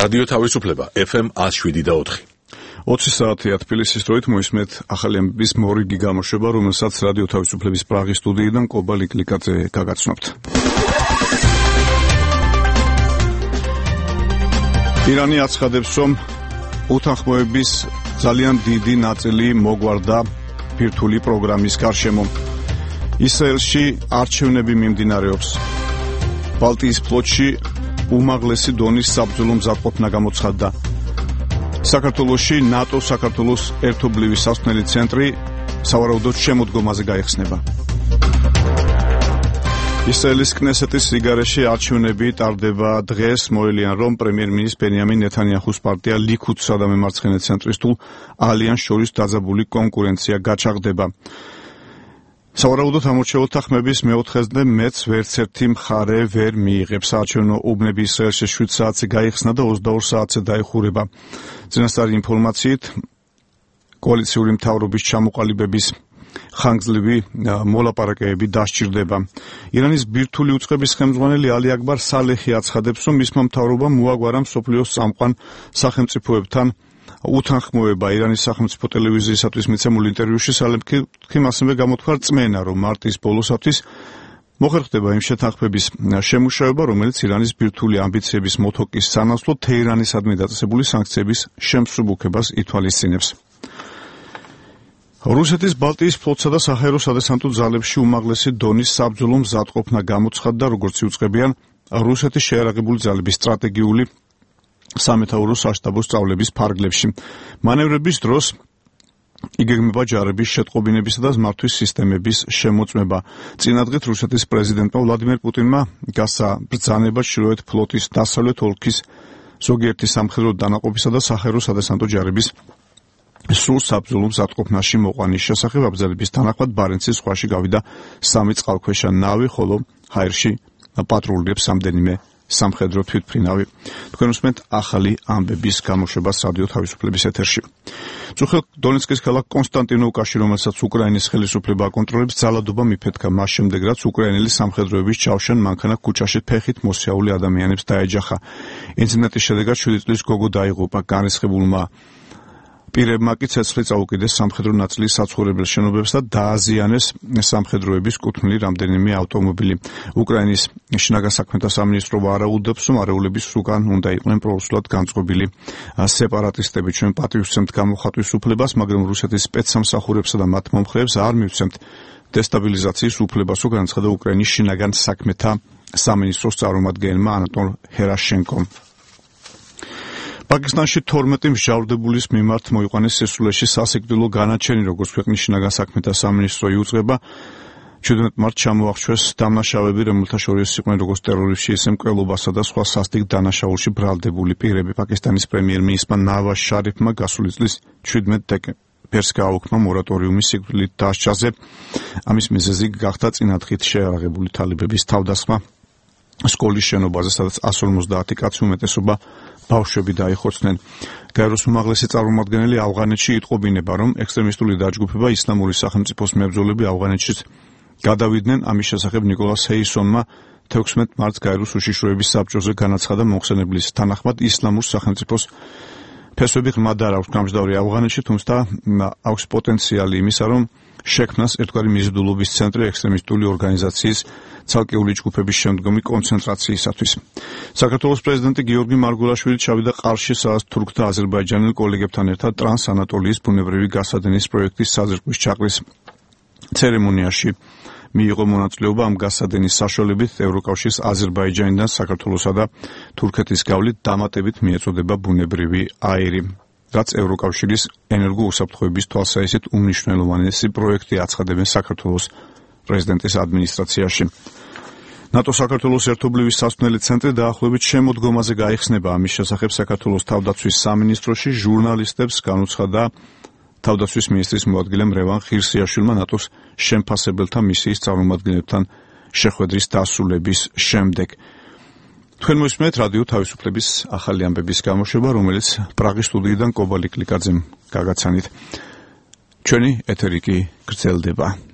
რადიო თავისუფლება FM 107.4. 20 საათია თბილისის დროით მოისმენთ ახალი ამბების მორიგი გამოშვება, რომელსაც რადიო თავისუფლების პრაღის სტუდიიდან კობა ლიკლიკაძე გაგაცნობთ. ირანი აცხადებს, რომ უთანხმოების ძალიან დიდი ნაწილი მოგვარდა ბირთვული პროგრამის გარშემო. ისრაელში არჩევნები მიმდინარეობს. ბალტიის ფლოტში უმაღლესი დონის საბრძოლო მზადყოფნა გამოცხადდა. საქართველოში ნატო საქართველოს ერთობლივი სასწავლებელი ცენტრი სავარაუდოდ შემოდგომაზე გაიხსნება. ისრაელის კნესეთის რიგარეში არჩევნები ტარდება დღეს. მოელიან, რომ პრემიერ-მინისტრის ბენიამინ ნეთანიაჰუს პარტია ლიქუდსა და მემარცხენე ცენტრისტულ ალიანსს შორის დაძაბული კონკურენცია გაჩაღდება. სავარაუდოდ ამორჩეულთა ხმების მეოთხესდე მეც ვერც ერთი მხარე ვერ მიიღებს. საარჩევნო უბნები ისრაელში 7 საათზე გაიხსნა და 22 საათზე დაიხურება. წინასწარი ინფორმაციით, კოალიციური მთავრობის ჩამოყალიბების ხანგრძლივი მოლაპარაკებები დასჭირდება. ირანის ბირთვული უწყების ხელმძღვანელი ალი აკბარ სალეხი აცხადებს, რომ მისმა მთავრობამ უაგვარა მსოფლიოს წამყვან სახელმწიფოებთან უთანხმოება. ირანის სახელმწიფო ტელევიზიისათვის მიცემულ ინტერვიუში სალეხიმ ასევე გამოთქვა რწმენა, რომ მარტის ბოლოსათვის მოხერხდება იმ შეთანხმების შემუშავება, რომელიც ირანის ბირთვული ამბიციების მოთოკის სანაცვლოდ თეირანისადმი დაწესებული სანქციების შემსუბუქებას ითვალისწინებს. რუსეთის ბალტიის ფლოტსა და საჰაერო სადესანტო ძალებში უმაღლესი დონის საბრძოლო მზადყოფნა გამოცხადდა, როგორც იუწყებიან რუსეთის შეიარაღებული ძალების სტრატეგიული სამეთაურო საშტაბო სწავლების ფარგლებში. მანევრების დროს იგეგმება ჯარების შეტყობინებისა და მმართვის სისტემების შემოწმება. წინადღით რუსეთის პრეზიდენტმა ვლადიმერ პუტინმა გასცა ბრძანება ჩრდილოეთ ფლოტის დასავლეთ ოლქის ზოგიერთი სამხედრო დანაყოფისა და საჰაერო სადესანტო ჯარების სრულ საბრძოლო მზადყოფნაში მოყვანის შესახებ. აბრძანების თანახმად ბარენცის ზღვაში გავიდა 3 წყალქვეშა ნავი, ხოლო ჰაერში პატრულირებს რამდენიმე სამხედრო თვითმფრინავი. თქვენ უსმენთ ახალი ამბების გამოშვებას რადიო თავისუფლების ეთერში. წუხელ დონეცკის ქალაქ კონსტანტინოვკაში, რომელსაც უკრაინის ხელისუფლება აკონტროლებს, ძალადობა მიფეთქა მას შემდეგ, რაც უკრაინელი სამხედროების ჩავშან მანქანა ქუჩაში ფეხით მოსიაული ადამიანებს დაეჯახა. ინციდენტის შედეგად 7 წლის გოგო დაიღუპა. განრისხებულმა პირებმა კი ცეცხლი წაუკიდეს სამხედრო ნაწილის საცხოვრებელ შენობებს და დააზიანეს სამხედროების კუთვნილი რამდენიმე ავტომობილი. უკრაინის შინაგან საქმეთა სამინისტრო ვარაუდობს, რომ არეულების უკან უნდა იყვნენ პრორუსულად განწყობილი სეპარატისტები. ჩვენ პატივისცემთ გამოხატვის უფლებას, მაგრამ რუსეთის სპეცსამსახურებსა და მათ მომხრეებს არ მივცემთ დესტაბილიზაციის უფლებას, განაცხადა უკრაინის შინაგან საქმეთა სამინისტროს წარმომადგენელმა ანატოლ ჰერაშენკომ. პაკისტანში 12 მსჯავრდებულის მიმართ მოიყვანეს სისულეში სასიკვდილო განაჩენი, როგორც ქვეყნის შინაგან საქმეთა სამინისტრო იუწყება. 17 მარტს ჩამოახშვეს დამნაშავეები, რომელთა შორის იყვნენ როგორც ტერორისტში, ისე მკვლელობასა და სხვა სასტიკ დანაშაულში ბრალდებული პირები. პაკისტანის პრემიერ-მინისტრმა ნავაზ შარიფმა გასული წლის 17 დეკემბერს გააუქმა მორატორიუმი სიკვდილით დასჯაზე. ამის მიზეზი გახდა წინადღით შეიარაღებული თალიბების თავდასხმა სკოლის შენობაზე, სადაც 150 კაცი უმეტესობა ბავშვები დაიხოცნენ. გაეროს უმაღლესი წარმომადგენელი ავღანეთში იტყობინება, რომ ექსტრემისტული დაჯგუფება ისლამური სახელმწიფოს მებრძოლები ავღანეთშიც გადავიდნენ. ამის შესახებ ნიკოლას ჰეისონმა 16 მარტს გაეროს უშიშროების საბჭოზე განაცხადა მომხსენებლის თანახმად, ისლამურ სახელმწიფოს ფესვები ღრმად არ აქვს გამჟდავრი ავღანეთში, თუმცა აქვს პოტენციალი იმისა, რომ შექმნას ერთგვარი მიზიდულობის ცენტრი ექსტრემისტული ორგანიზაციის ცალკეული ჯგუფების შემდგომი კონცენტრაციისათვის. საქართველოს პრეზიდენტი გიორგი მარგულაშვილი ჩავიდა ყარში, სადაც თურქთა აზერბაიჯანელ კოლეგებთან ერთად ტრანსანატოლიის ბუნებრივი გასადენის პროექტის საზრდოობის ჩაყრის ცერემონიაში მიიღო მონაწილეობა. ამ გასადენის საშუალებით ევროკავშირის აზერბაიჯანიდან საქართველოსა და თურქეთის გავლით დამატებით მიეწოდება ბუნებრივი აირი, რაც ევროკავშირის ენერგოუსაფრთხოების თვალსაზრისით უმნიშვნელოვანესი პროექტი, აცხადებენ საქართველოს პრეზიდენტის ადმინისტრაციაში. ნატო საქართველოს ერთობლივი სასწავლებელი ცენტრი დაახლოებით შემოდგომაზე გაიხსნება. ამის შესახებ საქართველოს თავდაცვის სამინისტროში ჟურნალისტებს განუცხადა თავდაცვის მინისტრის მოადგილე მრევან ხირსიაშვილმა ნატოს შემფასებელთა მისიის წარმომადგენლებთან შეხვედრის დასრულების შემდეგ. თქვენ მოისმენთ რადიო თავისუფლების ახალი ამბების გამოშვება, რომელიც პრაღის სტუდიიდან კობა ლიკლიკაძემ გაგაცანით. ჩვენი ეთერი კი გრძელდება.